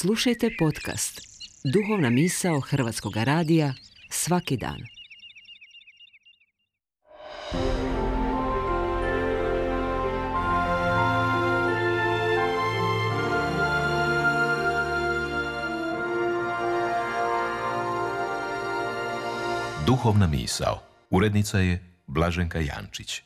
Slušajte podcast Duhovna misao Hrvatskog radija svaki dan. Duhovna misao. Urednica je Blaženka Jančić.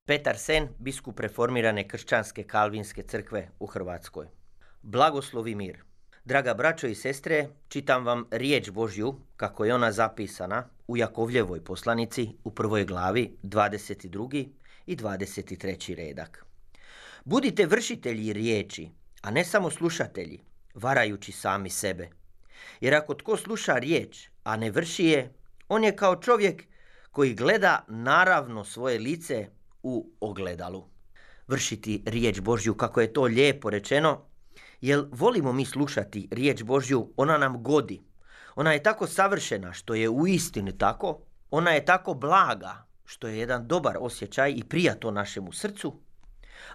Petar Sen, biskup reformirane kršćanske kalvinske crkve u Hrvatskoj. Blagoslov i mir. Draga braćo i sestre, čitam vam riječ Božju kako je ona zapisana u Jakovljevoj poslanici u 1. glavi 22. i 23. redak. Budite vršitelji riječi, a ne samo slušatelji, varajući sami sebe. Jer ako tko sluša riječ, a ne vrši je, on je kao čovjek koji gleda naravno svoje lice u ogledalu. Vršiti riječ Božju, kako je to lijepo rečeno, jer volimo mi slušati riječ Božju, ona nam godi. Ona je tako savršena, što je uistinu tako. Ona je tako blaga, što je jedan dobar osjećaj i prija to našemu srcu.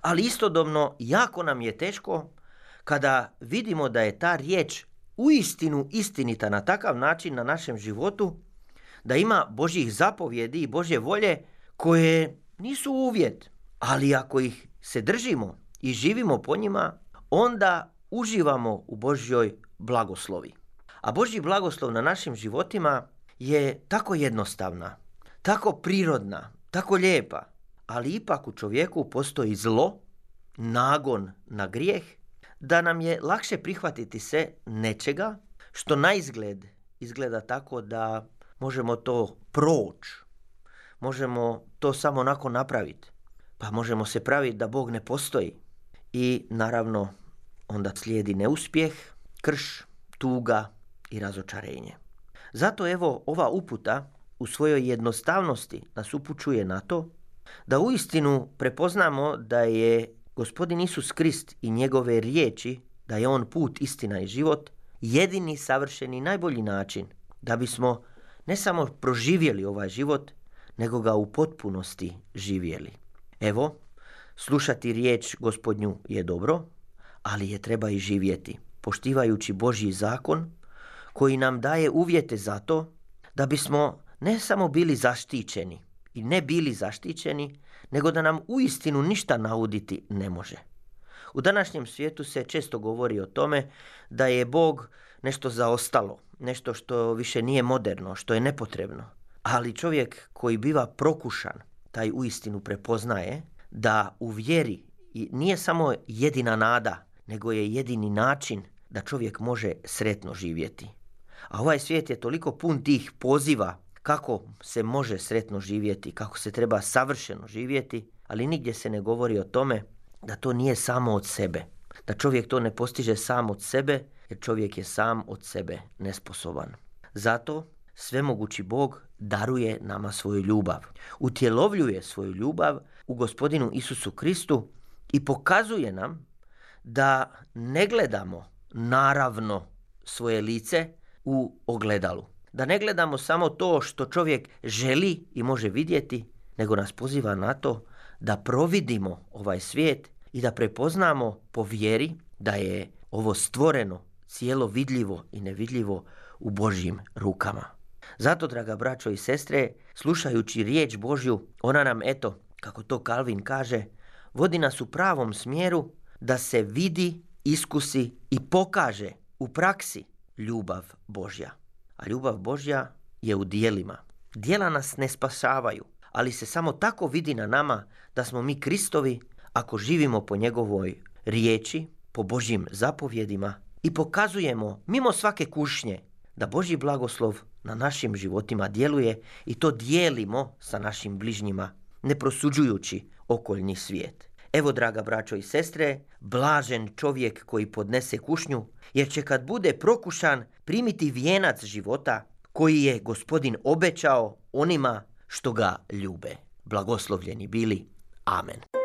Ali istodobno jako nam je teško kada vidimo da je ta riječ uistinu istinita na takav način na našem životu, da ima Božjih zapovjedi i Božje volje koje nisu uvjet, ali ako ih se držimo i živimo po njima, onda uživamo u Božjoj blagoslovi. A Božji blagoslov na našim životima je tako jednostavna, tako prirodna, tako lijepa, ali ipak u čovjeku postoji zlo, nagon na grijeh, da nam je lakše prihvatiti se nečega što na izgled izgleda tako da možemo to proći. Možemo to samo onako napraviti. Pa možemo se praviti da Bog ne postoji. I naravno onda slijedi neuspjeh, krš, tuga i razočarenje. Zato evo ova uputa u svojoj jednostavnosti nas upućuje na to da uistinu prepoznamo da je Gospodin Isus Krist i njegove riječi, da je on put, istina i život, jedini savršeni najbolji način da bismo ne samo proživjeli ovaj život, nego ga u potpunosti živjeli. Evo, slušati riječ Gospodnju je dobro, ali je treba i živjeti, poštivajući Božji zakon koji nam daje uvjete za to da bismo ne samo bili zaštićeni i ne bili zaštićeni, nego da nam uistinu ništa nauditi ne može. U današnjem svijetu se često govori o tome da je Bog nešto zaostalo, nešto što više nije moderno, što je nepotrebno. Ali čovjek koji biva prokušan, taj uistinu prepoznaje da u vjeri nije samo jedina nada, nego je jedini način da čovjek može sretno živjeti. A ovaj svijet je toliko pun tih poziva kako se može sretno živjeti, kako se treba savršeno živjeti, ali nigdje se ne govori o tome da to nije samo od sebe, da čovjek to ne postiže sam od sebe, jer čovjek je sam od sebe nesposoban. Zato svemogući Bog daruje nama svoju ljubav, utjelovljuje svoju ljubav u Gospodinu Isusu Kristu i pokazuje nam da ne gledamo naravno svoje lice u ogledalu. Da ne gledamo samo to što čovjek želi i može vidjeti, nego nas poziva na to da providimo ovaj svijet i da prepoznamo po vjeri da je ovo stvoreno cijelo vidljivo i nevidljivo u Božjim rukama. Zato, draga braćo i sestre, slušajući riječ Božju, ona nam, eto, kako to Kalvin kaže, vodi nas u pravom smjeru da se vidi, iskusi i pokaže u praksi ljubav Božja. A ljubav Božja je u djelima. Djela nas ne spasavaju, ali se samo tako vidi na nama da smo mi Kristovi ako živimo po njegovoj riječi, po Božjim zapovjedima i pokazujemo mimo svake kušnje da Božji blagoslov na našim životima djeluje i to dijelimo sa našim bližnjima, ne prosuđujući okoljni svijet. Evo, draga braćo i sestre, blažen čovjek koji podnese kušnju, jer će kad bude prokušan primiti vijenac života koji je Gospodin obećao onima što ga ljube. Blagoslovljeni bili. Amen.